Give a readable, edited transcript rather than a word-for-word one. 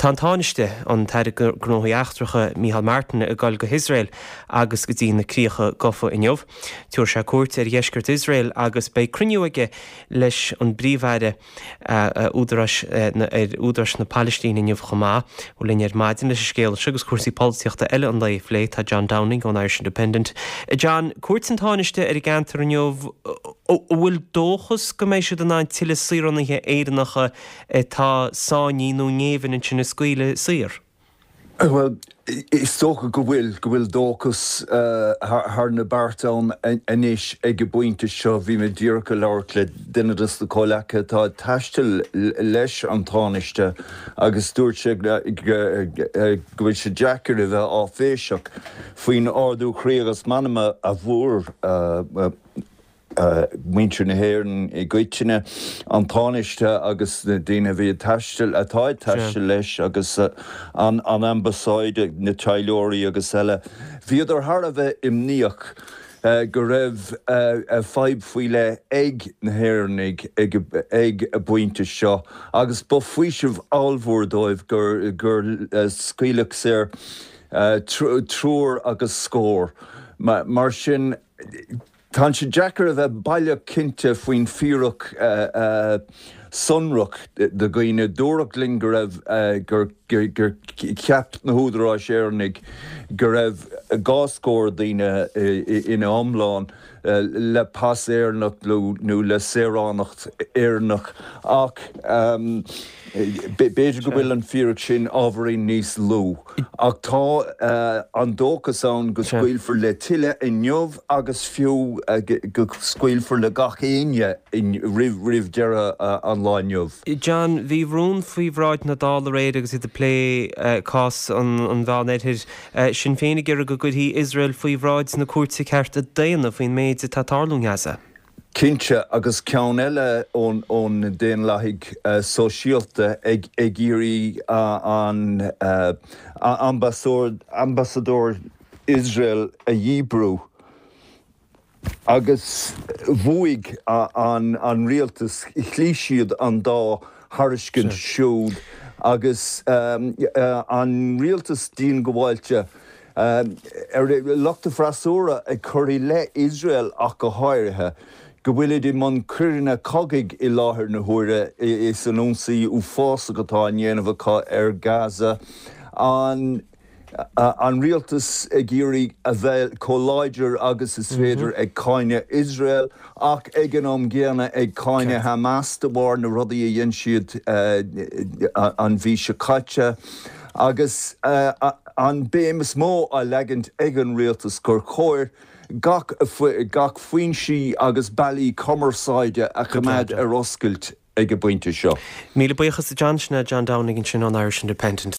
Tá an Tánaiste, an tAire Gnóthaí Eachtracha, Micheál Martin, ag dul go hIosrael agus go dtí na Críocha Gafa inniu. Tabharfaidh sé cuairt ar dheisceart Iosrael agus beidh cruinniú aige leis an bPríomh-Aire, údaráis ar údaráis na Palaistíne inniu chomh maith. Bhuel linn ar maidin leis an scéal seo agus cúrsaí polaitíochta eile an lae a phlé tá John Downing ón Irish Independent. John, cuairt an Tánaiste ar an gceantar inniu, an bhfuil dóchas go mbeidh siad in ann tuilleadh saoránaithe Éireannacha atá sáinnithe nó i ngéibheann ansin a scaoileadh saor? Bhuel, is dócha go bhfuil, go bhfuil dóchas thar na bearta ann anois ag an bpointe seo. Bhí mé díreach ag labhairt le duine de na comhleacaithe atá ag taisteal leis an Tánaiste agus dúirt sé go bhfuil sé deacair a bheith áiféiseach faoin ardú croí agus meanma a bhfuair muintir na hÉireann i gcoitinne, an Tánaiste agus na daoine a bhí ag taisteal, atá ag taisteal leis agus an Ambasáid, na taidhleoirí agus eile. Bhíodar thar a bheith imníoch go raibh fadhb faoi leith ag na hÉireannaigh ag an bpointe seo agus ba faoiseamh ollmhór dóibh gur scaoileadh saor triúr agus scór. Mar sin. Tá sé deacair a bheith baileach cinnte faoin bhfíric sonrach de dhaoine. Dúradh linn go raibh, gur cheap na húdaráis Éireannaigh go raibh dhá scór daoine ina iomlán le pas Éireannach nó le saoránacht Éireannach ach b'fhéidir go bhfuil an fíric sin ábhairín níos lú. Ach tá an dóchas ann go scaoilfear le tuilleadh inniu agus fiú go scaoilfear le gach éinne roimh deireadh an lae inniu. John, bhí rún faoi bhráid na Dála aréir agus iad ag plé cás an Mheánoirthir. Sinn Féin ag iarraidh go gcuirfí Iosrael faoi bhráid na Cúirte Cearta Daonna faoin méid atá ag tarlú i nGaza. Cinnte, agus ceann eile ó na Daonlathaigh Sóisialta ag iarraidh an ambasadóir Iosrael a dhíbriú. Agus bhuaigh an rialtas, chloígh siad an dá thairiscint siúd agus an rialtas diongbháilte. Ar lucht an fhreasúra ag cur i leith Iosrael ach go háirithe, go bhfuilid i mbun coireanna cogaidh i láthair na huaire is an ionsaí uafásach atá á ndéanamh acu ar Gaza, an an rialtas ag iarraidh a bheith chomh láidir agus is féidir ag cáineadh Iosrael ach ag an am gcéanna ag cáineadh Hamas de bharr na rudaí a dhein siad an mhí seo caite. Agus an béim is mó á leagaint ag an rialtas gur chóir gach gach foinsí agus bealaí cumarsáide a choimeád ar oscailt ag an bpointe seo. Míle buíochas a John, sin é John Downing ansin ón Irish Independent.